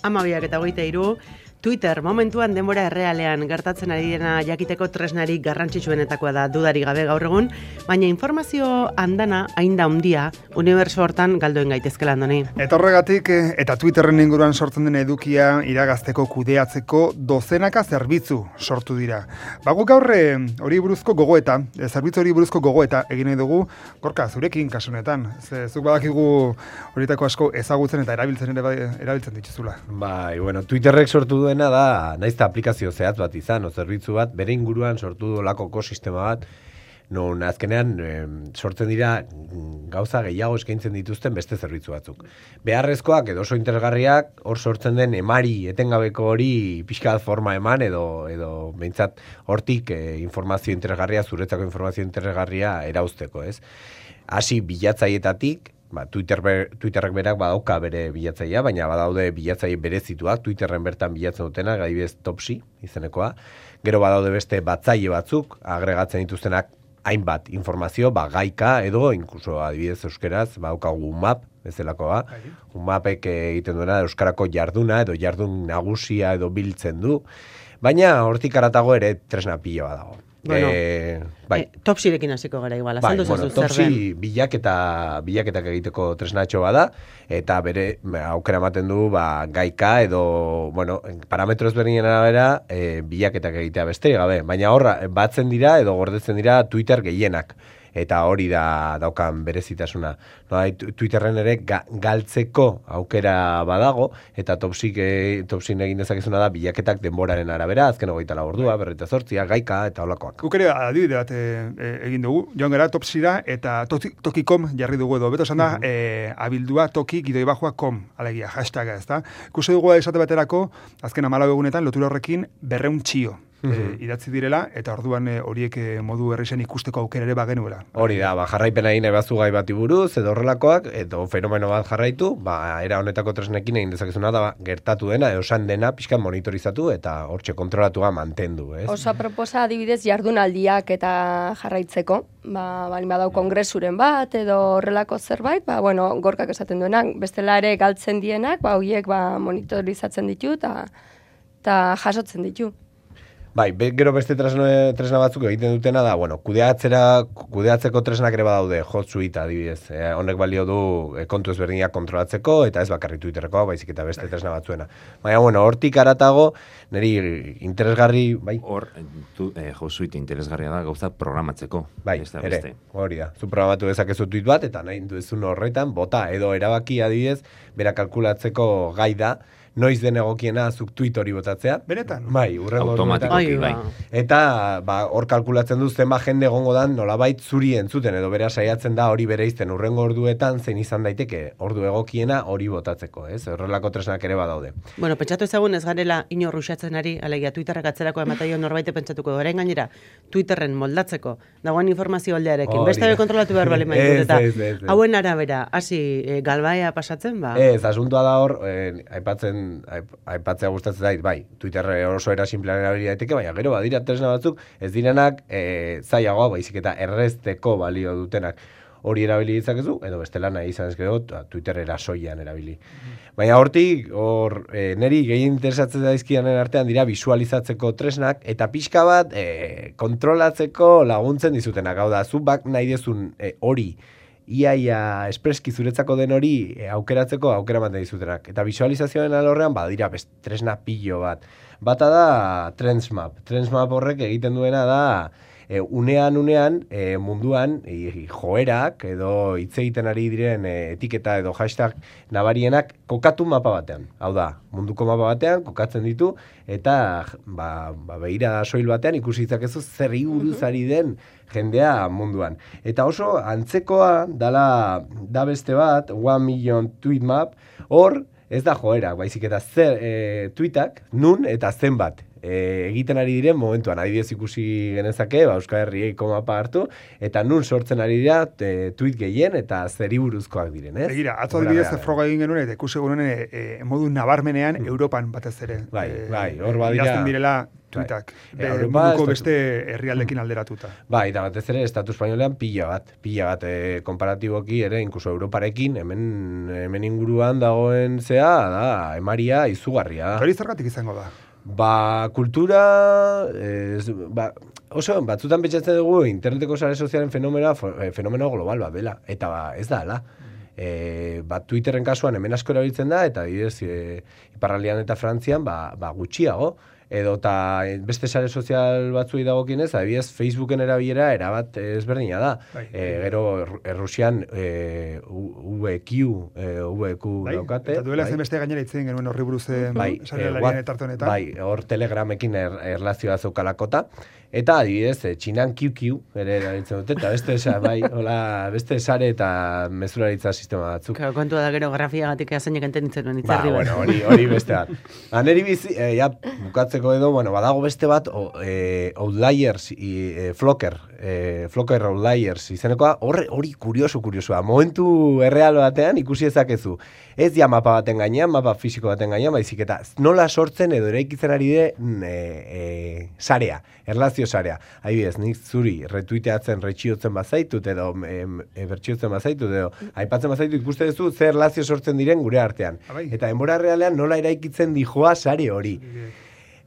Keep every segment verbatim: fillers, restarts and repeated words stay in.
hamabiak eta hogeita hiru. Twitter momentuan denbora errealean gertatzen ari dena jakiteko tresnari garrantzitsuenetakoa da dudarik gabe gaur egun, baina informazio andana hain da handia unibertso hortan galdoen gaitezkela Andoni. Eta horregatik, eta Twitterren inguruan sortzen den edukia iragazteko kudeatzeko dozenaka zerbitzu sortu dira. Bago gaur hori buruzko gogoeta, zerbitzu hori buruzko gogoeta egin nahi dugu, Gorka, zurekin kasunetan. Ze, zuk badakigu horietako asko ezagutzen eta erabiltzen ere erabiltzen dituzula. Bai, bueno, Twitterrek sortu du da, naizta aplikazio zehatz bat izan, o zerbitzu bat, bere inguruan sortu du lako ekosistema bat, non azkenean e, sortzen dira gauza gehiago eskaintzen dituzten beste zerbitzu batzuk. Beharrezkoak edo oso interesgarriak, hor sortzen den emari etengabeko hori pixka forma eman edo edo behintzat hortik e, informazio interesgarria, zuretzako informazio interesgarria erauzteko, ez? Hasi bilatzaietatik, Ba, Twitter ber, Twitterrek berak badauka bere bilatzailea, baina badaude bilatzaile berezituak, Twitterren bertan bilatzen dutena, adibidez Topsy izenekoa. Gero badaude beste batzaile batzuk, agregatzen dituztenak hainbat informazio, ba, gaika edo, inkluso adibidez euskeraz, badaukagu UMAP, bezalakoa. UMAPek egiten duena euskarako jarduna edo jardun nagusia edo biltzen du, baina hortik haratago ere tresna pila dago. Bueno, e, bai. e, Topsirekin hasiko gara igual, bai, azaldu bueno, zazu zer Topsy den. bilaketa, bilaketak egiteko tresnatxo bada, eta bere aukera ematen du ba, gaika edo bueno, parametro ezberdinen arabera e, bilaketak egitea besterik gabe, baina horra batzen dira edo gordetzen dira Twitter gehienak. Eta hori da daukan berezitasuna. No, Twitterren ere ga, galtzeko aukera badago, eta Topsik, e, Topsin egin dezakezuna da bilaketak denboraren arabera, azken hogeita lau ordua, berreta zortzia, gaika eta holakoak. Guk ere adibide bat e, e, egin dugu, joan gara Topsira eta toki.com jarri dugu edo. Beto esan da, uh-huh. e, abildua toki gidoi bajua com, alegia, hashtaga, ez da. Ikusi dugu esate baterako, azken amalau egunetan, lotura horrekin berreun txio. E, idatzi direla, eta orduan e, horiek e, modu errexen ikusteko aukera ere bagenuela. Hori da, ba, jarraipena egin ebazu gai bati buruz, edo horrelakoak, edo fenomeno bat jarraitu, ba, era honetako tresnekin egin dezakezuna da, ba, gertatu dena, edo san dena, pixkan monitorizatu, eta hortxe kontrolatua mantendu, ez? Osa proposa adibidez jardunaldiak eta jarraitzeko, ba, bali badau kongresuren bat, edo horrelako zerbait, ba, bueno, Gorkak esaten duenak, bestela ere galtzen dienak, ba, horiek ba, monitorizatzen ditu, eta jasotzen ditu. Bai, be, gero beste tresna, tresna batzuk egiten dutena da, bueno, kudeatzera, kudeatzeko tresnak ere badaude, Hotsuite adibidez. E, honek balio du e, kontu ezberdinak kontrolatzeko, eta ez bakarrik Twitterreko, baizik eta beste tresna batzuena. Baina, bueno, hortik aratago, niri interesgarri, bai? Hor, tu, eh, Hotsuite interesgarria da gauza programatzeko. Bai, da, ere, beste. Hori da. Zu programatu dezakezu tweet bat, eta nahi duzun horretan, bota edo erabaki adibidez, bera kalkulatzeko gai da, noiz den egokiena zuk tweet hori botatzea. Benetan? Bai, urrengo automatikoki, bai. Eta ba, hor kalkulatzen du zenba jende egongo dan nolabait zuri entzuten edo bera saiatzen da hori bereizten urrengo orduetan zein izan daiteke ordu egokiena hori botatzeko, ez? Horrelako tresnak ere badaude. Bueno, pentsatu ezagun ez garela inor ruxatzen ari, alegia Twitterrak atzerako emataio norbaite pentsatuko, orain gainera Twitterren moldatzeko dagoen informazio aldearekin. Beste be kontrolatu behar bali maitut eta ez, ez, ez. Hauen arabera hasi e, galbaea pasatzen ba. Ez, asuntua da hor, eh, aipatzen aipatzea gustatzen zait, bai, Twitter oso era simplean erabili daiteke, baina gero badira tresna batzuk, ez direnak e, zailagoa, baizik eta errezteko balio dutenak hori erabili ditzakezu, edo bestela nahi izan ez gero, Twitter erasoian erabili. Baina hortik, hor, e, neri gehien interesatzen daizkidanen artean dira visualizatzeko tresnak, eta pixka bat e, kontrolatzeko laguntzen dizutenak, hau da, zu bak nahi dezun e, hori, iaia espreski zuretzako den hori e, aukeratzeko aukera ematen dizutenak. Eta visualizazioen alorrean badira best, tresna pilo bat. Bata da Trendsmap. Trendsmap horrek egiten duena da e, unean unean e, munduan e, joerak edo hitz egiten ari diren e, etiketa edo hashtag nabarienak kokatu mapa batean. Hau da, munduko mapa batean kokatzen ditu eta ba, ba begira soil batean ikusi ditzakezu zer buruz ari den jendea munduan. Eta oso antzekoa dala da beste bat, one million tweet map, hor ez da joera, baizik eta zer e, tweetak, nun eta zenbat e, egiten ari diren momentuan, adibidez ikusi genezake, ba, Euskal Herrieko mapa hartu, eta nun sortzen ari dira e, tweet gehien eta zeri buruzkoak diren, ez? Begira, atzo adibidez froga egin genuen, eta ikusi genuen e, e, modu nabarmenean mm. Europan batez ere. Bai, e, bai, hor badira. Idazten direla tuitak, bai. e, munduko beste herrialdekin alderatuta. Bai, eta batez ere, Estatu Espainolean pila bat, pila bat, e, komparatiboki ere, inkluso Europarekin, hemen, hemen inguruan dagoen zea, da, emaria izugarria. Hori zergatik izango da? Ba, kultura, ez, ba, oso, batzutan betxatzen dugu interneteko sare sozialen fenomeno, fenomeno global bat dela, eta ba, ez da, ala. E, ba, Twitterren kasuan hemen asko erabiltzen da, eta bidez, e, Iparraldean eta Frantzian, ba, ba gutxiago, edo eta beste sare sozial batzuei dagokienez, adibidez Facebooken erabilera erabat ezberdina da. Bai. E, gero Errusian e, V Q, e, V Q bai. daukate. Eta duela bai. zen beste gainera itzen genuen horri buruz bai. sarealarien eta hartonetan. Bai, hor Telegramekin er, erlazioa zeukalakota. Eta adibidez, e, Txinan Q Q ere erabiltzen dute, eta beste, sa, bai, hola, beste sare eta mezularitza sistema batzuk. Claro, kontua da gero grafiagatik azainek entenditzen duen itzarri ba, bueno, hori, hori beste bat. Aneri bizi, e, ja, bukatzeko edo, bueno, badago beste bat, o, e, Outliers, i, e, Flocker, e, Flocker Outliers izenekoa, hori, hori kurioso, kuriosua. Momentu erreal batean ikusi ezakezu. Ez ja mapa baten gainean, mapa fisiko baten gainean, baizik eta nola sortzen edo eraikitzen ari de e, e, sarea, erlazio sarea. Adibidez, nik zuri retuiteatzen retxiotzen bazaitut edo e, e, bertxiotzen bazaitut edo aipatzen bazaitut ikuste duzu zer erlazio sortzen diren gure artean. Abai. Eta denbora realean nola eraikitzen dijoa sare hori.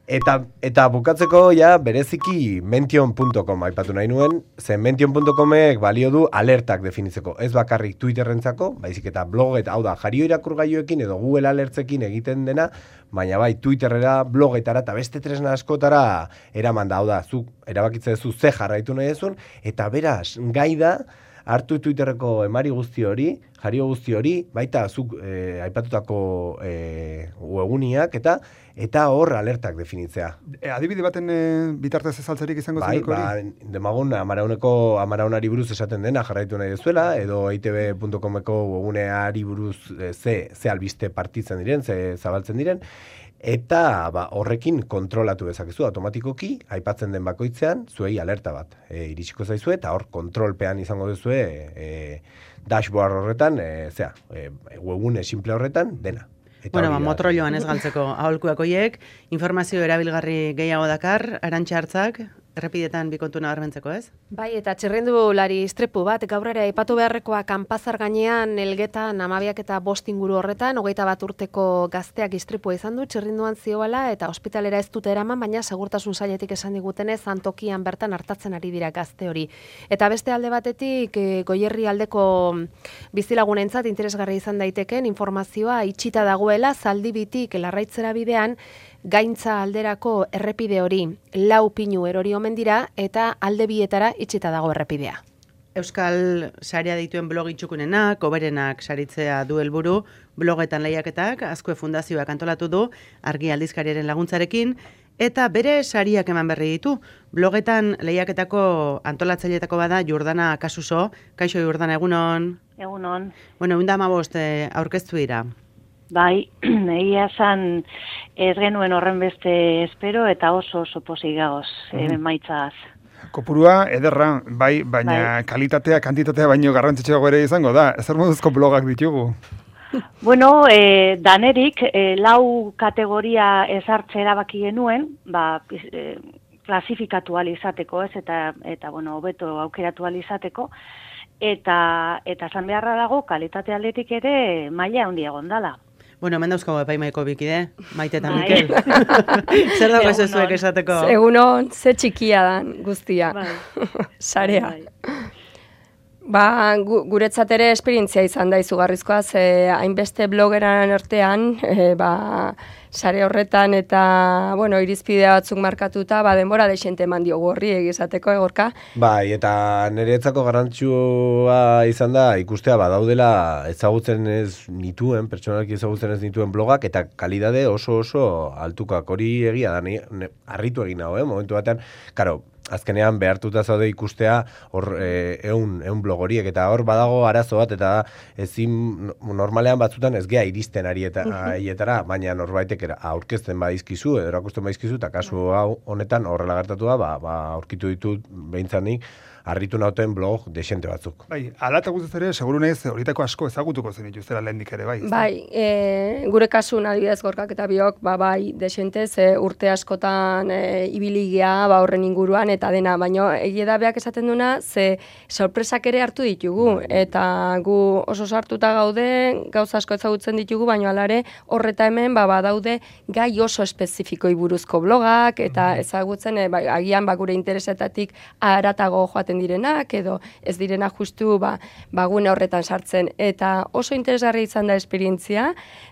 Eta, eta bukatzeko ja bereziki mention punto com aipatu nahi nuen, zen mention punto comek balio du alertak definitzeko. Ez bakarrik Twitterrentzako, baizik eta blog eta hau da, jario irakurgailuekin edo Google Alertsekin egiten dena, baina bai Twitterrera, blogetara eta beste tresna askotara eraman da, hau da, zuk erabakitzen duzu ze jarraitu nahi duzun, eta beraz, gai da, hartu Twitterreko emari guzti hori, jario guzti hori, baita zuk e, aipatutako e, webuniak eta eta hor alertak definitzea. E, adibide baten e, bitartez ezaltzerik izango bai, zeneko hori? Ba, demagun amarauneko amaraunari buruz esaten dena jarraitu nahi duzuela, edo e i te be punto comeko webuneari buruz e, ze, ze albiste partitzen diren, ze zabaltzen diren, eta ba, horrekin kontrolatu dezakezu automatikoki, aipatzen den bakoitzean, zuei alerta bat e, iritsiko zaizue, eta hor kontrolpean izango duzue e, dashboard horretan, e, zera, e, webune simple horretan, dena. Eta bueno, ba, motroloan ez galtzeko aholkuak hoiek, informazio erabilgarri gehiago dakar, Arantxa Hartzak, errepidetan bikontu nabarmentzeko, ez? Bai, eta txirrindulari istripu bat, gaur ere aipatu beharrekoa kanpazar gainean elgetan amabiak eta bost inguru horretan, hogeita bat urteko gazteak istripua izan du, txirrinduan zioala eta ospitalera ez dute eraman, baina segurtasun sailetik esan digutenez, antokian bertan hartatzen ari dira gazte hori. Eta beste alde batetik, e, Goierri aldeko bizilagunentzat interesgarri izan daiteken informazioa itxita dagoela, Zaldibitik Larraitzera bidean, Gaintza alderako errepide hori lau pinu erori omen dira eta alde bietara itxita dago errepidea. Euskal sarea dituen blog itxukunenak, oberenak saritzea du helburu, blogetan lehiaketak, Azkue Fundazioak antolatu du, Argi aldizkariaren laguntzarekin, eta bere sariak eman berri ditu. Blogetan lehiaketako antolatzaileetako bada Jordana Kasuso. Kaixo Jordana, egunon? Egunon. Bueno, ehun eta hamabost eh, aurkeztu dira. Bai, egia esan ez genuen horren beste espero eta oso oso pozik gagoz, mm. emaitzaz. Kopurua ederra, bai, baina bai. Kalitatea, kantitatea baino garrantzitsuago ere izango da. Ezer moduzko blogak ditugu? Bueno, e, danerik e, lau kategoria ezartze erabaki genuen, ba, e, klasifikatu izateko, ez, eta, eta bueno, hobeto aukeratu izateko, eta eta esan beharra dago kalitate aldetik ere maila handia gondala. Bueno, hemen dauzkago epaimaiko bikide, Maite eta Mikel. Zer dago ez zuek esateko? Egunon, ze txikia dan guztia. Bai. Sarea. Bai. Ba, gu, guretzat ere esperientzia izan da izugarrizkoa, ze hainbeste blogeran artean, e, ba, sare horretan eta, bueno, irizpidea batzuk markatuta, ba, denbora desente eman diogu horri egizateko, egorka. Bai, eta niretzako garrantzua izan da, ikustea badaudela ezagutzen ez nituen, pertsonalki ezagutzen ez nituen blogak, eta kalidade oso oso altukak hori egia da, ni, ne, harritu egin hau, eh, momentu batean, karo, azkenean behartuta zaude ikustea hor e, eun, eun blog horiek, eta hor badago arazo bat, eta ezin normalean batzutan ez gea iristen arietara, baina norbaitek aurkezten badizkizu, edo erakusten badizkizu, eta kasu hau honetan horrela gertatu da, ba, ba, aurkitu ditut behintzanik, harritu nauten blog desente batzuk. Bai, ala eta guztiz ere, seguru nahiz, horietako asko ezagutuko zen ituztera lehendik ere, bai? Bai, e, gure kasun adibidez Gorkak eta biok, ba, bai, desente, ze urte askotan e, ibiligia, ba, horren inguruan, eta dena, baina egia da beak esaten duna, ze sorpresak ere hartu ditugu, eta gu oso sartuta gaude, gauza asko ezagutzen ditugu, baina alare horreta hemen, ba, badaude gai oso espezifikoi buruzko blogak, eta ezagutzen, e, ba, agian, ba, gure interesetatik haratago joaten direnak, edo ez direnak justu ba, bagune horretan sartzen. Eta oso interesgarri izan da esperientzia,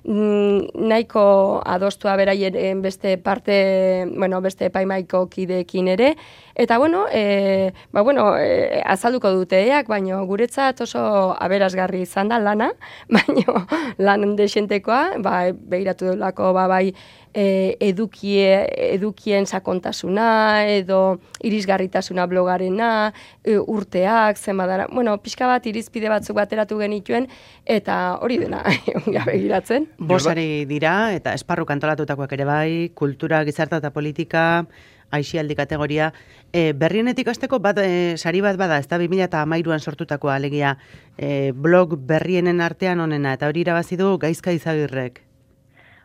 nahiko adostua beraien beste parte, bueno, beste epaimaiko kideekin ere, eta bueno, e, ba, bueno e, azalduko duteak, baina guretzat oso aberasgarri izan da lana, baina lan desentekoa, ba, behiratu delako, ba, bai, E, edukie, edukien sakontasuna, edo irisgarritasuna blogarena, e, urteak, zenbadara, bueno, pixka bat irizpide batzuk bateratu genituen, eta hori dena, ongia begiratzen. Bosari dira, eta esparru kantolatutakoak ere bai, kultura, gizarta eta politika, aixialdi kategoria. E, berrienetik hasteko bat, e, sari bat bada, ez da bi mila hamairuan sortutakoa, alegia, e, blog berrienen artean onena, eta hori irabazi du Gaizka Izagirrek.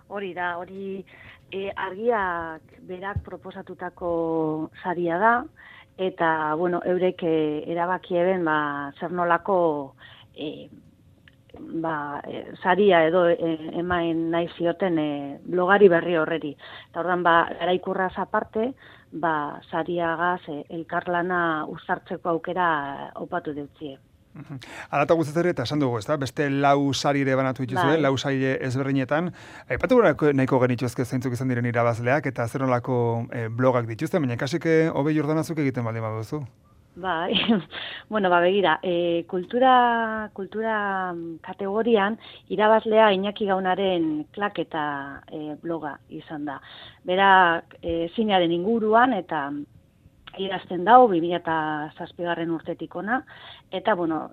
Hori da, hori e, argiak berak proposatutako saria da, eta, bueno, eurek e, erabaki eben, ba, zer nolako e, ba, e, saria edo e, emaen nahi zioten e, blogari berri horreri. Eta ordan, ba, garaikurraz aparte, ba, sariagaz e, elkarlana uzartzeko aukera opatu deutzie. Ala eta guztiz ere, eta esan dugu, ez da? Beste lau sari ere banatu dituzue, lau sari ezberdinetan. Aipatu gure nahiko genituzke zeintzuk izan diren irabazleak, eta zer nolako e, blogak dituzte, baina kasik hobe Jordanazuk egiten baldin baduzu. Bai, bueno, ba, begira, e, kultura, kultura kategorian irabazlea Iñaki Gaunaren klak eta e, bloga izan da. Berak e, zinearen inguruan eta idazten dau, bi mila zazpigarren urtetik ona, eta, bueno,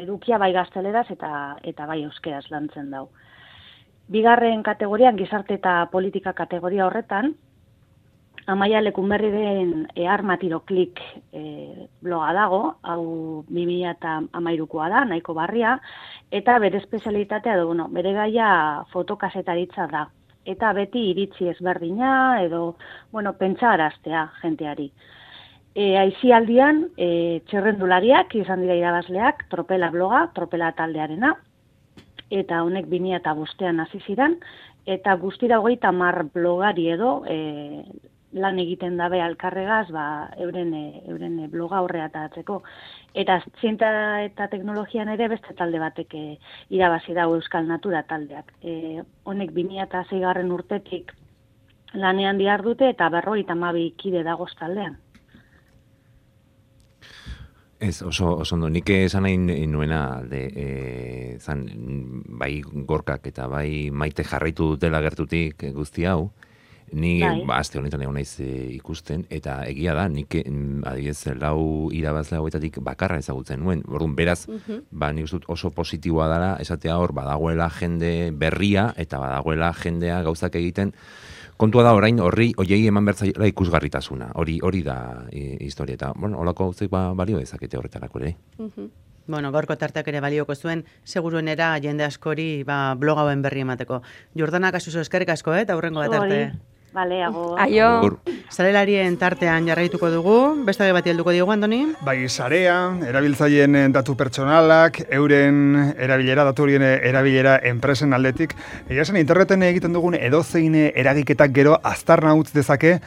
edukia bai gazteleraz eta, eta bai euskeraz lantzen dau. Bigarren kategorian, gizarte eta politika kategoria horretan, Amaia Lekunberri den Armatiro Klik e, bloga dago, hau bi mila hamairukoa da, nahiko barria, eta bere espezialitatea, edo, bueno, bere gaia fotokazetaritza da. Eta beti iritzi ezberdina, edo, bueno, pentsa araztea jenteari. E, aizialdian, e, txerrendulariak izan dira irabazleak, Tropela bloga, Tropela taldearena, eta honek bi mila bostean hasi ziren, eta guztira hogeita hamar blogari edo e, lan egiten dabe alkarregaz, ba, euren, e, euren bloga horreatatzeko. Eta zientzia eta teknologian ere beste talde batek e, irabazi dago Euskal Natura taldeak. E, honek bi mila seigarren urtetik lanean dihardute eta berrogeita hamabi kide dagoz taldean. Ez, oso, oso ondo, nik esan nahi nuena alde, e, zan, bai Gorkak eta bai Maite jarraitu dutela gertutik guzti hau, ni ba, aste honetan egon naiz e, ikusten, eta egia da, nik adibidez lau irabazle hauetatik bakarra ezagutzen nuen, orduan beraz, uh-huh. ba, nik uste dut oso positiboa dela, esatea hor, badagoela jende berria, eta badagoela jendea gauzak egiten, kontua da orain horri hoiei eman bertzaila ikusgarritasuna. Hori hori da e, historia eta bueno, holako gauzek ba balio dezakete horretarako ere. Uh-huh. Bueno, gaurko tarteak ere balioko zuen, seguruenera jende askori ba blog hauen berri emateko. Jordana kasuso eskerrik asko, eh, eta hurrengo bat arte. Vale, ago. Aio. Sarelarien tartean jarraituko dugu, beste bati helduko diogu, Andoni? Bai, sarea, erabiltzaileen datu pertsonalak, euren erabilera, datu horien erabilera enpresen aldetik. Egia esan, interneten egiten dugun edozein eragiketak gero aztarna utz dezake,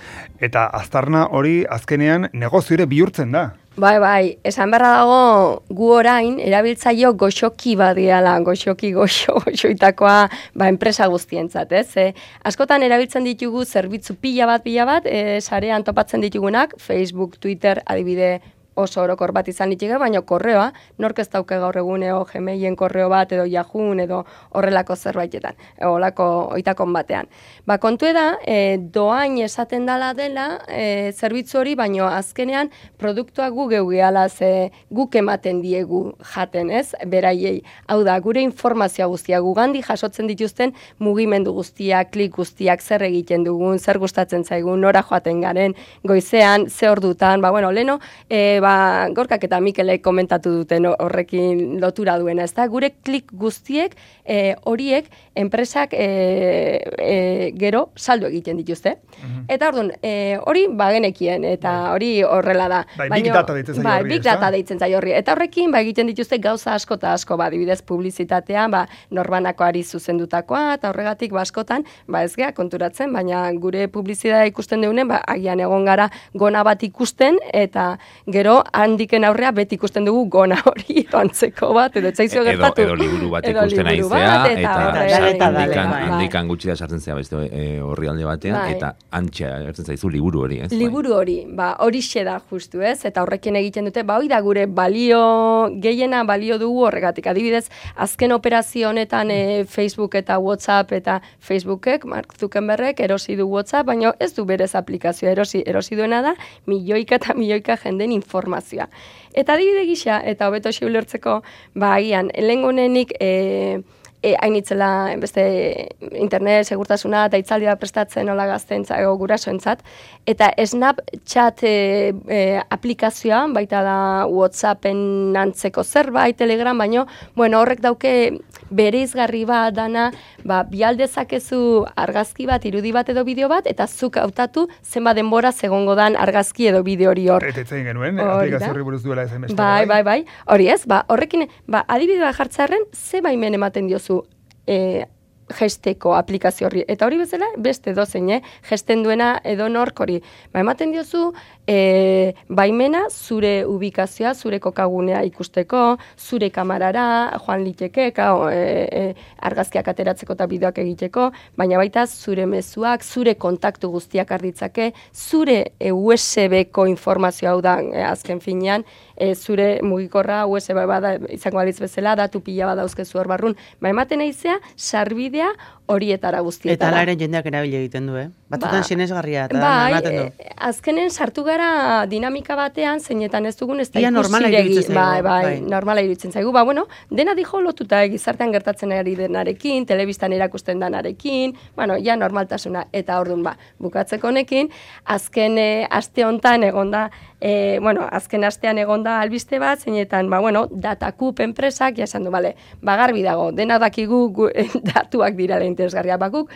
eta aztarna hori azkenean negozioire bihurtzen da. Bai, bai, esan beharra dago gu orain erabiltzaio goxoki badiala, goxoki goxo, goxoitakoa ba, enpresa guztientzat, ez? E, askotan erabiltzen ditugu zerbitzu pila bat, pila bat, e, sarean topatzen ditugunak, Facebook, Twitter, adibide oso orokor bat izan litike, baina korreoa, nork ez dauke gaur eguneo Gmailen korreo bat edo Yahoo edo horrelako zerbaitetan, holako oitakon batean. Ba, kontu da, e, doain esaten dala dela e, zerbitzu hori, baina azkenean produktua gu geu gehala ze guk ematen diegu jaten, ez? Beraiei. Hau da, gure informazioa guztia gugandi jasotzen dituzten mugimendu guztiak, klik guztiak, zer egiten dugun, zer gustatzen zaigun, nora joaten garen, goizean, ze ordutan, ba, bueno, leno, e, ba, Gorkak eta Mikelek komentatu duten horrekin lotura duena, ez da? Gure klik guztiek, e, horiek, enpresak e, e, gero saldu egiten dituzte. Uh-huh. Eta orduan, e, hori bagenekien, eta hori horrela da. Bai, big data deitzen zaio horri, horri, big data deitzen zaio horri. Eta horrekin, ba, egiten dituzte gauza asko eta asko, ba, dibidez publizitatean, ba, norbanakoari zuzendutakoa, eta horregatik, ba, askotan, ba, ez gea konturatzen, baina gure publizitatea ikusten deunen, ba, agian egon gara gona bat ikusten, eta gero handiken aurrea beti ikusten dugu gona hori antzeko bat, edo etzaizio gertatu. Edo, edo liburu bat ikusten aizea, eta handikan gutxi da sartzen zea beste horri alde batean, bai. Eta antxe gertzen zaizu liburu hori, ez? Liburu hori, ba, hori da justu, ez? Eta horrekin egiten dute, ba, hori da gure balio, gehiena balio dugu horregatik. Adibidez, azken operazio honetan e, Facebook eta WhatsApp eta Facebookek, Mark Zuckerbergek erosi du WhatsApp, baina ez du berez aplikazioa erosi, erosi duena da, milioika eta milioika jenden informazioa. Eta adibide gisa, eta hobeto ulertzeko, ba, agian, lehengonenik, e, E, hainitzela beste internet segurtasuna eta itzaldi bat prestatzen hola gaztentza ego gurasoentzat, eta Snapchat e, e, aplikazioa, baita da WhatsAppen antzeko zerbait, Telegram, baino, bueno, horrek dauke bereizgarri bat dana, ba, bialdezakezu argazki bat, irudi bat edo bideo bat, eta zuk hautatu zenbat denbora segongo dan argazki edo bideo hori hor. Eta etzen genuen, aplikazio horri buruz duela ezen beste. Bai, bai, bai, hori ez, ba, horrekin, ba, adibidea jartzearen, ze baimen ematen diozu E, gesteko aplikazio horri. Eta hori bezala, beste dozein, eh? Gesten duena edo nork hori. Ba, ematen diozu, e, baimena zure ubikazioa, zure kokagunea ikusteko, zure kamarara, joan liteke, kao, e, e, argazkiak ateratzeko eta bideoak egiteko, baina baita zure mezuak, zure kontaktu guztiak arditzake, zure e, U S B-ko informazioa hau da, e, azken finean, e, zure mugikorra U S B bada izango balitz bezala, datu pila badauzkezu hor barrun. Ba, ematen aizea, sarbide horietara guztietara. Eta alaren jendeak erabili egiten du, eh? Batzutan ba, sinesgarria eta bai, ematen du. E, azkenen sartu gara dinamika batean, zeinetan ez dugun ez da normala iruditzen zaigu. Bai, bai, bai, normala iruditzen zaigu. Ba, bueno, dena dijo lotuta gizartean gertatzen ari denarekin, telebistan erakusten danarekin, bueno, ja normaltasuna. Eta orduan, ba, bukatzeko honekin, azken e, aste hontan egonda, e, bueno, azken astean egonda albiste bat, zeinetan, ba, bueno, datakup enpresak, ja esan du, bale, bagarbi dago, dena dakigu gu, datuak dira da interesgarria bakuk,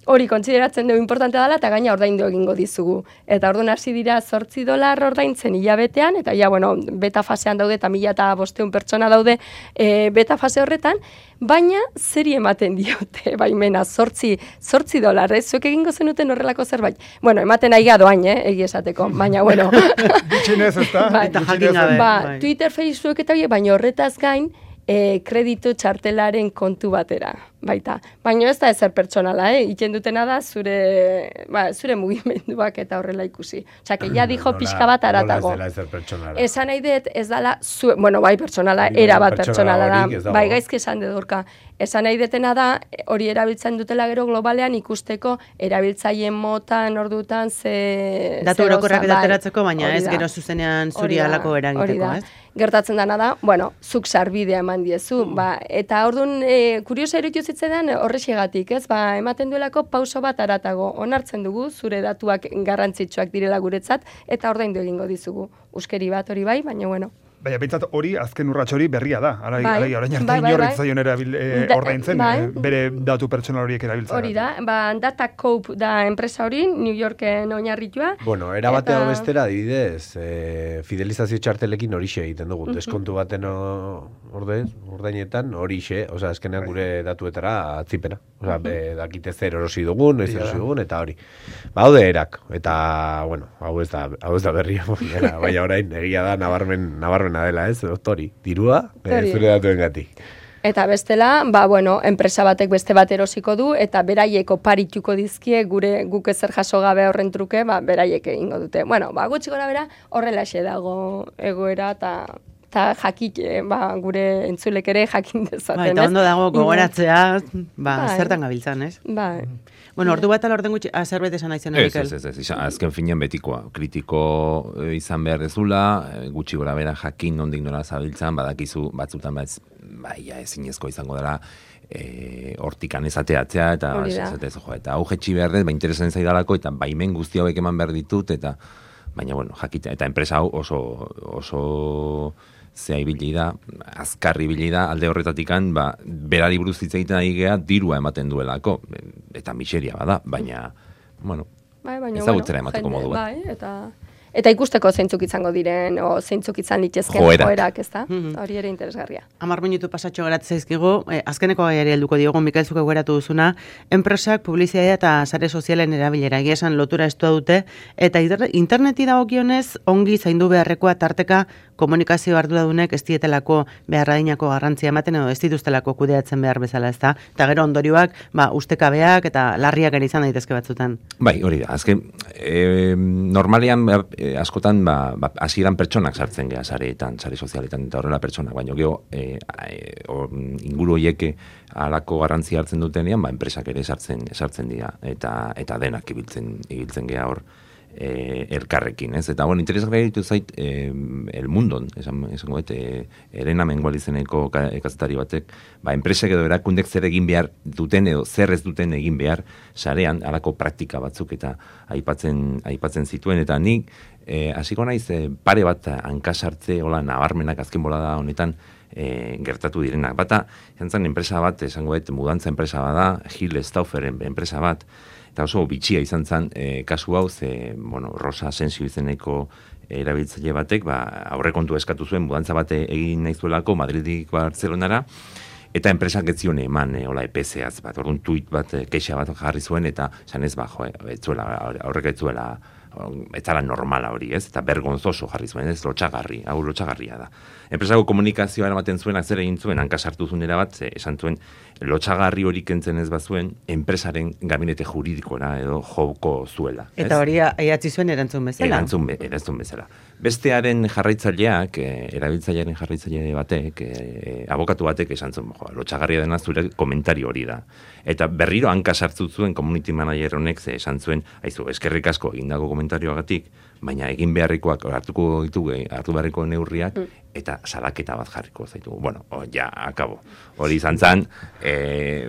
hori kontsideratzen dugu importante dela eta gaina ordaindu egingo dizugu. Eta orduan hasi dira zortzi dolar ordaintzen hilabetean, eta ja, bueno, beta fasean daude eta mila eta bosteun pertsona daude e, beta fase horretan, baina zeri ematen diote baimena zortzi, zortzi dolar, ez? Zuek egingo zenuten horrelako zerbait. Bueno, ematen aiga doain, eh, egi esateko, baina, bueno. Bitxinez, ez da? Ba, eta jakin gabe. Ba, Twitter, Facebook eta hori, baina horretaz gain, E, kreditu txartelaren kontu batera, baita. Baina ez da ezer pertsonala, eh? Iten dutena da zure, ba, zure mugimenduak eta horrela ikusi. Osea, que ja dijo pixka bat aratago. Nola ez dela ezer pertsonala. Esan nahi dut, ez dala, zu, bueno, bai pertsonala, era bat pertsonala da. Bai, gaizki esan dedurka. Esan nahi detena da, hori erabiltzen dutela gero globalean ikusteko erabiltzaileen motan, ordutan, ze... Datu orokorrak ateratzeko, baina ez gero zuzenean zuri alako eragiteko, ez? Gertatzen dana da, bueno, zuk sarbidea eman diezu, mm. ba, eta orduan, e, kuriosa eritu zitzen horrexegatik, ez? Ba, ematen duelako pauso bat aratago, onartzen dugu, zure datuak garrantzitsuak direla guretzat, eta ordaindu egingo dizugu. Uskeri bat hori bai, baina bueno. Baina, bintzat hori, azken urratxo hori berria da. Ara, bai, ara, orain arte bai, bai, inorrik bai. zaion erabil, e, ordaintzen, bai. e, bere datu pertsonal horiek erabiltzen. Hori da, ba, Datacope da enpresa hori, New Yorken oinarritua. Bueno, era bateo eta... bestera, adibidez, e, fidelizazio txartelekin horixe egiten dugu. Uh -huh. Deskontu baten orde, ordainetan horixe, osea, eskenean gure datuetara atzipena. Osea, uh -huh. dakite zer erosi dugun, noiz erosi dugun, eta hori. Ba, haude erak, eta, bueno, hau ez da, hau ez da berria, baina orain, egia da, nabarmen, nabarmena dela, ez, hori, dirua, e, zure datuen gatik. Eta bestela, ba, bueno, enpresa batek beste bat erosiko du, eta beraiek oparituko dizkie, gure guk ezer jaso gabe horren truke, ba, beraiek egingo dute. Bueno, ba, gutxi gora bera, horrelaxe dago egoera, eta eta jakik, ba, gure entzulek ere jakin dezaten, ba, eta ondo dago gogoratzea, ba, bai. Zertan gabiltzan, ez? Bai. Bueno, ordu bat alorden gutxi, zerbait esan nahi zen, Mikel? Ez, ez, ez, ez, azken finean betikoa. Kritiko izan behar dezula, gutxi gora bera jakin nondik nola zabiltzan, badakizu batzutan bat, bai, ja, ezinezko izango dela, e, hortikan ezateatzea, eta ez, jo, eta hau jetxi behar dez, ba, interesan zaidalako, eta baimen guzti hauek eman behar ditut, eta baina, bueno, jakita, eta enpresa hau oso, oso zea ibili da, azkarri ibili da, alde horretatikan, ba, berari buruz hitz egiten ari gea, dirua ematen duelako, eta miseria bada, baina, bueno, bai, baina, ezagutzera bueno, emateko jende, modu bat. Bai, eta, eta ikusteko zeintzuk izango diren, o zeintzuk izan litezken Joerak. joerak, ez da? Hori ere interesgarria. Hamar minutu pasatxo geratzen zaizkigu, eh, azkeneko gaiari helduko diogu, Mikel zuk egueratu duzuna, enpresak publizitatea eta sare sozialen erabilera egia esan lotura estua dute, eta interneti dagokionez ongi zaindu beharrekoa tarteka komunikazio arduradunek ez dietelako beharradinako garrantzia ematen edo ez dituztelako kudeatzen behar bezala, ez da? Eta gero ondorioak, ba, ustekabeak eta larriak ere izan daitezke batzutan. Bai, hori da, azken, e, normalean e, askotan, ba, ba, hasieran pertsonak sartzen geha sareetan, sare sozialetan, eta horrela pertsonak, baina gero e, e, or, inguru horieke halako garrantzia hartzen dutenean, ba, enpresak ere sartzen, sartzen dira, eta, eta denak ibiltzen, ibiltzen geha hor. E, elkarrekin, ez? Eta, bueno, interesgarria ditu zait e, El Mundon, esan, esan goet, e, Elena Mengual izeneko kazetari batek, ba, enpresek edo erakundek zer egin behar duten edo zer ez duten egin behar sarean, halako praktika batzuk eta aipatzen, aipatzen zituen, eta nik e, hasiko naiz e, pare bat hankasartze, hola, nabarmenak azken bolada honetan e, gertatu direnak. Bata, jantzan enpresa bat, esango goet, mudantza enpresa bada, Gil Stauffer enpresa bat, eta oso bitxia izan zen e, kasu hau, ze, bueno, Rosa Asensio izeneko erabiltzaile batek, ba, aurrekontu eskatu zuen, mudantza bate egin nahi zuelako, Madridik Barcelonara, eta enpresak ez zion eman, e, hola, E P Z-az bat, orduan tuit bat, e, keixa bat jarri zuen, eta zanez, ba, jo, etzuela, aurrek etzuela, etzala normala hori, ez? Eta bergonzoso jarri zuen, ez? Lotxagarri, hau lotxagarria da. Enpresako komunikazioa eramaten zuen, zer egin zuen, hanka sartu zuen erabat, ze, esan zuen, lotxagarri hori kentzen ez bazuen, enpresaren gabinete juridikora edo joko zuela. Ez? Eta hori aiatzi zuen erantzun bezala. Erantzun, be, erantzun bezala. Bestearen jarraitzaileak, e, erabiltzailearen jarraitzaile batek, e, abokatu batek esan zuen, jo, lotxagarria dena zure komentario hori da. Eta berriro hanka sartu zuen community manager honek, ze esan zuen, aizu, eskerrik asko egindako komentarioagatik, baina egin beharrikoak hartuko ditugu, hartu beharriko neurriak, eta salaketa bat jarriko zaitugu. Bueno, o, ja, akabo. Hori izan zan, eh,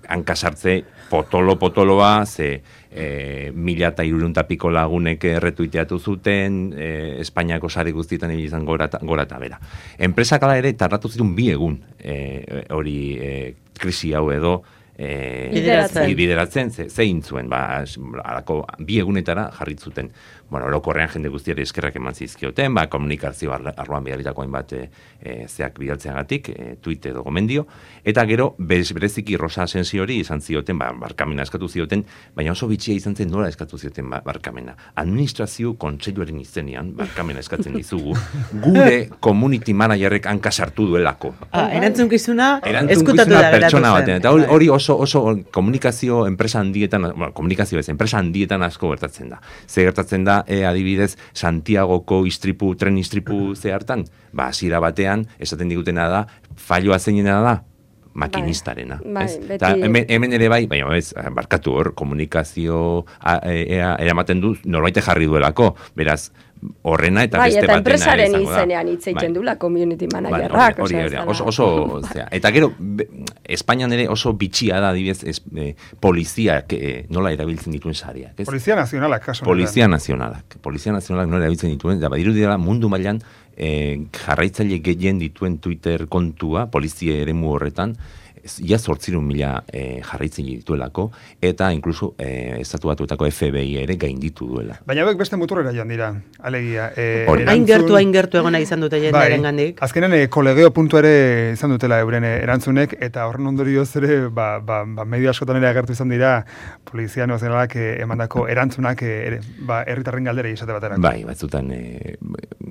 hankasartze potolo-potoloa, ze e, mila eta iruruntapiko lagunek erretuiteatu zuten, e, Espainiako sare guztietan izan gora eta bera. Enpresak ala ere tarratu zituen bi egun e, hori e, krisi hau edo, E, bideratzen, bideratzen ze, zein zuen, ba, alako bi egunetara jarritzuten. Bueno, orokorrean jende guztiari eskerrak eman zizkioten, ba, komunikazio arloan bidaritako hainbat e, e, zeak bidaltzeagatik, e, tweet edo gomendio, eta gero, bez, bereziki Rosa Asensio hori izan zioten, ba, barkamena eskatu zioten, baina oso bitxia izan zen nola eskatu zioten ba, barkamena. Administrazio kontseiluaren izenean, barkamena eskatzen dizugu, gure community managerrek hanka sartu duelako. Ah, erantzunkizuna, eskutatu da pertsona batean, eta hori oso oso komunikazio enpresa handietan, bueno, komunikazio ez, enpresa handietan asko gertatzen da. Ze gertatzen da, e, adibidez, Santiagoko istripu, tren istripu ze hartan, ba, hasiera batean, esaten digutena da, falloa zeinena da, makinistarena. Bai, ez? beti... Ta, hemen, hemen ere bai, baina ez, barkatu hor, komunikazio eramaten du, norbait jarri duelako, beraz, horrena eta bai, beste eta batena enpresaren izango da. izenean hitz egiten Bai. dula community managerrak. Hori, hori, oso, oso, zera. Eta gero, be, Espainian ere oso bitxia da, adibidez, es, eh, poliziak eh, nola erabiltzen dituen sareak. Ez? Polizia nazionalak, kaso. Polizia nazionalak. Polizia nazionalak nola erabiltzen dituen, da badiru dira mundu mailan eh, jarraitzaile gehien dituen Twitter kontua, polizia eremu horretan, ia zortzirun mila e, jarraitzen dituelako, eta inkluso e, estatu batuetako F B I ere gainditu duela. Baina hauek beste muturrera joan dira, alegia. E, hain gertu, hain gertu egona izan dute jendearen gandik. Bai, azkenen e, kolegeo puntu ere izan dutela euren erantzunek, eta horren ondorioz ere, ba, ba, ba, medio askotan ere agertu izan dira, polizia nazionalak e, emandako erantzunak e, ere, ba, herritarren galdera izate baterako. Bai, batzutan e,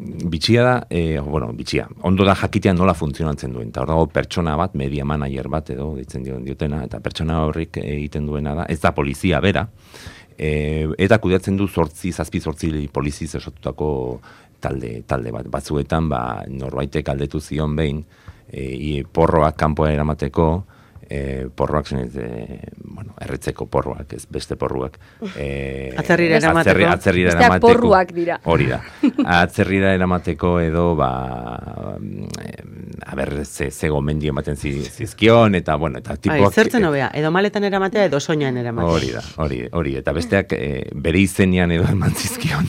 bitxia da, e, bueno, bitxia, ondo da jakitea nola funtzionatzen duen, eta hor dago pertsona bat, media manager bat edo, ditzen dion diotena, eta pertsona horrik egiten duena da, ez da polizia bera, e, eta kudeatzen du zortzi, zazpi zortzi poliziz esotutako talde, talde bat, batzuetan, ba, norbaitek aldetu zion behin, e, porroak kanpoa eramateko, E, porroak zen, e, bueno, erretzeko porroak, ez beste porruak. E, atzerrira eramateko. Atzerri, atzerrira eramateko. porruak dira. Hori da. Atzerrira eramateko edo, ba, a ber, ze, ze gomendio ematen zizkion, eta, bueno, eta tipuak... Ai, zertzen hobea, edo maletan eramatea, edo soinan eramatea. Hori da, hori, hori. Eta besteak e, bere izenean edo eman zizkion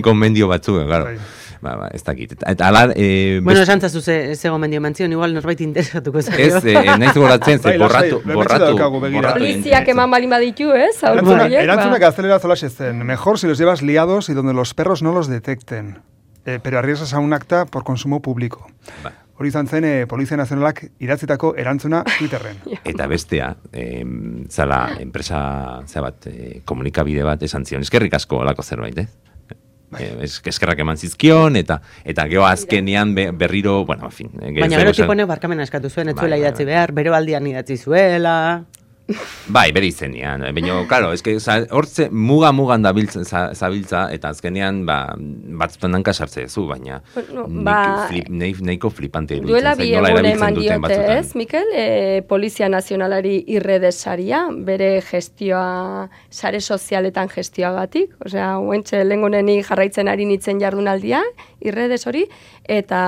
gomendio batzu, claro. Ba, ba, ez dakit. Eta ala... E, bueno, esan zazu ze, ze gomendio mantzion, igual norbait interesatuko zaio. Ez, e, naiz goratzen, ze borratu, borratu, borratu. Poliziak eman balin baditu, ez? Erantzuna gaztelera zolas ezen. Mejor si los llevas liados y donde los perros no los detecten. Eh, pero arriesgas a un acta por consumo público. Ba. Hori izan zen, e, Polizia Nazionalak idatzitako erantzuna Twitterren. Eta bestea, e, zala, enpresa, zebat, e, komunikabide bat esan zion. Eskerrik asko olako zerbait, eh? Eh, eskerrak eman zizkion, eta eta geho azkenean be, berriro, bueno, en fin. Baina gero tipone barkamena eskatu zuen, ez zuela bai, idatzi bai, behar, bero aldian idatzi zuela... Bai, bere izenean. Baina, claro, eske hortze muga-mugan da zabiltza, eta azkenean, ba, batzutan hanka sartze zu, baina bueno, ba, flip, neiko flipante iruditzen. Duela bi egun eman diote, ez, Mikel? E, Polizia Nazionalari irredesaria, bere gestioa, sare sozialetan gestioagatik, osea, huentxe lengoneni jarraitzen ari nitzen jardunaldia, irredes hori, eta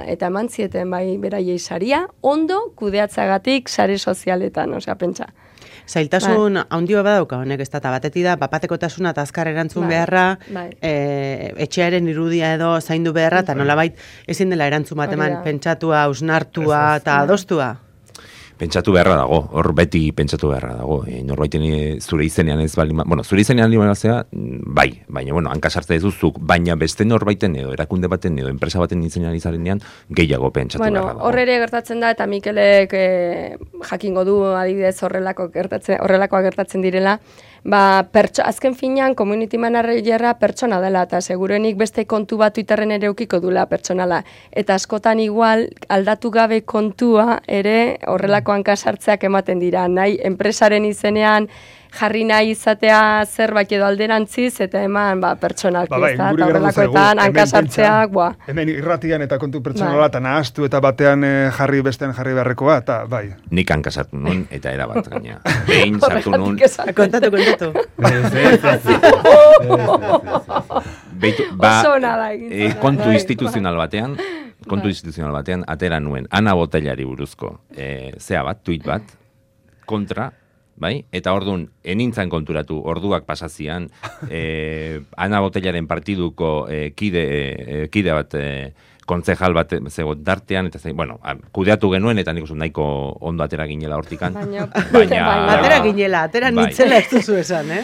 eta eman zieten bai beraiei saria, ondo kudeatzagatik sare sozialetan, osea, pentsa. Zailtasun ba. handio badauka honek, ez da, batetik da, bapatekotasuna eta azkar erantzun ba. beharra, ba. e, etxearen irudia edo zaindu beharra, eta nolabait ezin dela erantzun bat eman pentsatua, ausnartua eta adostua. Pentsatu beharra dago, hor beti pentsatu beharra dago. E, norbaiten zure izenean ez bali, bueno, zure izenean librazea, bai, baina, bueno, hanka sartze duzuk, baina beste norbaiten edo, erakunde baten edo, enpresa baten izenean izarenean, gehiago pentsatu bueno, beharra dago. Hor ere gertatzen da, eta Mikelek eh, jakingo du, adibidez, horrelako gertatzen, horrelakoa gertatzen direla, ba, pertso, azken finean, community managerra pertsona dela, eta segurenik beste kontu bat Twitterren ere eukiko dula pertsonala. Eta askotan igual, aldatu gabe kontua ere horrelako hankasartzeak ematen dira. Nahi, enpresaren izenean jarri nahi izatea zerbait edo alderantziz, eta eman ba, pertsonalki, ba, bai, eta horrelakoetan hankasartzeak, boa. Hemen irratian eta kontu pertsonala, eta nahaztu eta batean eh, jarri bestean jarri beharrekoa, eta bai. Nik hankasartu nun, eta erabat gaina. Behin sartu nun. Kontatu, kontatu. Kontu instituzional batean, kontu instituzional batean, atera nuen, Ana Botellari buruzko, e, zea bat, tweet bat, kontra, bai? Eta orduan, enintzan konturatu, orduak pasazian, e, Ana Botellaren partiduko e, kide, e, kide bat, e, kontzejal bat zego dartean, eta zein, bueno, kudeatu genuen, eta nik usun nahiko ondo atera ginela hortikan. Baina, baina, atera ginela, atera bai. Nitzela ez duzu esan, eh?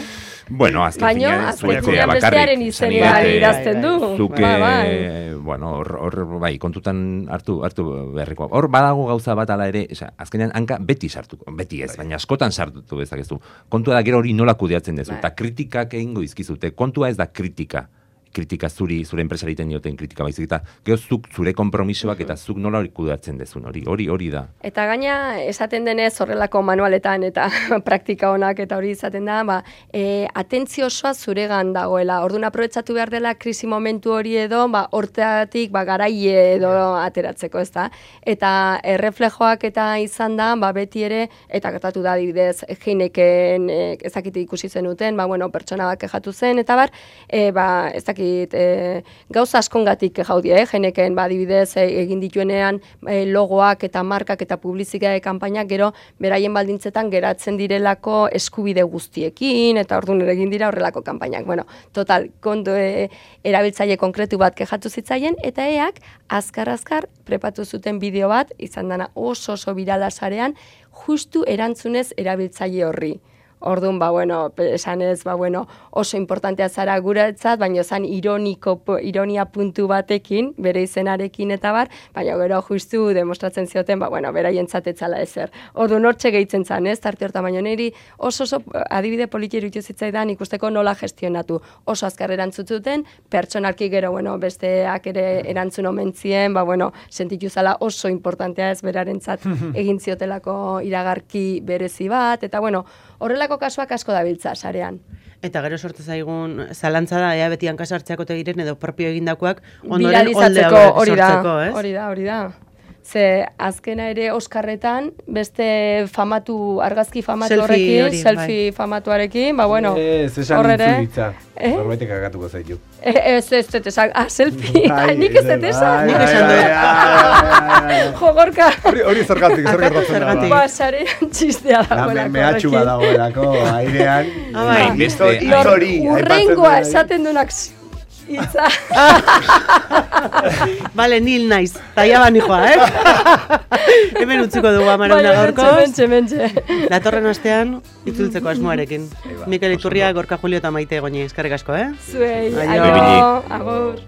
Bueno, azken baina, finean bestearen izenean irazten du. Zuke, ba, bai. Bueno, hor, hor, bai, kontutan hartu, hartu beharrikoa. Hor badago gauza bat ala ere, esa, azkenean hanka beti sartuko, beti ez, baina askotan sartutu bezakezu. Kontua da gero hori nola kudeatzen dezu, eta kritikak egingo izkizute. Kontua ez da kritika. kritika zuri, zure enpresari egiten dioten kritika baizik, eta gero zuk zure konpromisoak eta zuk nola hori kudeatzen dezun, hori, hori, hori da. Eta gaina, esaten denez horrelako manualetan eta praktika honak eta hori izaten da, ba, e, atentzio osoa zuregan dagoela, orduan aprobetxatu behar dela krisi momentu hori edo, ba, horteatik, ba, garaie edo ateratzeko, ez da? Eta erreflejoak eta izan da, ba, beti ere, eta gertatu da, adibidez, Heineken, e, ezakite ikusi zenuten, ba, bueno, pertsona bat kexatu zen, eta bar, e, ba, ezakit, E, gauza askongatik jaudie, eh? Heineken badibidez e, egin dituenean e, logoak eta markak eta publizitate kanpainak gero beraien baldintzetan geratzen direlako eskubide guztiekin, eta orduan ere egin dira horrelako kanpainak. Bueno, total, kontu e, erabiltzaile konkretu bat kexatu zitzaien, eta eak azkar-azkar prepatu zuten bideo bat, izan dana oso oso birala sarean, justu erantzunez erabiltzaile horri. Orduan, ba, bueno, esan ez, ba, bueno, oso importantea zara guretzat, baina zan ironiko, ironia puntu batekin, bere izenarekin eta bar, baina gero justu demostratzen zioten, ba, bueno, beraientzat etzala ezer. Orduan, hortxe gehitzen zan, ez, tarte horta, baina niri oso oso adibide politiero ituzitzaidan ikusteko nola gestionatu. Oso azkar erantzututen, pertsonalki gero, bueno, besteak ere erantzun omentzien, ba, bueno, sentitu zala oso importantea ez berarentzat egin ziotelako iragarki berezi bat, eta, bueno, horrelako kasuak asko dabiltza sarean. Eta gero sortu zaigun zalantza da, ea beti hankasartzeako tegiren edo propio egindakoak ondoren oldea sortzeko, ez? Hori da, hori da. Ze azkena ere Oskarretan, beste famatu, argazki famatu Selfie horrekin, hori, selfie bai. famatuarekin, ba bueno, Ez, esan intzulitza. Eh? Norbaitek agatuko zaitu. E, ez, ez, ez, ez, ah, selfie, Bai, nik ez dut esan. bai, Nik esan bai, dut. bai, bai, Jo, Gorka. Hori, hori zergatik, zer gertatzen da. Zergatik. Ba, sarean txistea bai. dagoelako. Mehatxu bat dagoelako, airean. Ah, bai. Beste- Hori, Urrengoa esaten dunak hitza. Vale, nil naiz, taia bani joa, eh? Hemen utziko dugu amaranda gaurkoz. Mentxe, mentxe. Datorren astean, itzultzeko asmoarekin. Mikel Iturria, Gorka Julio eta Maite Goñi, eskerrik asko, eh? Zuei, Aio. aio, agur.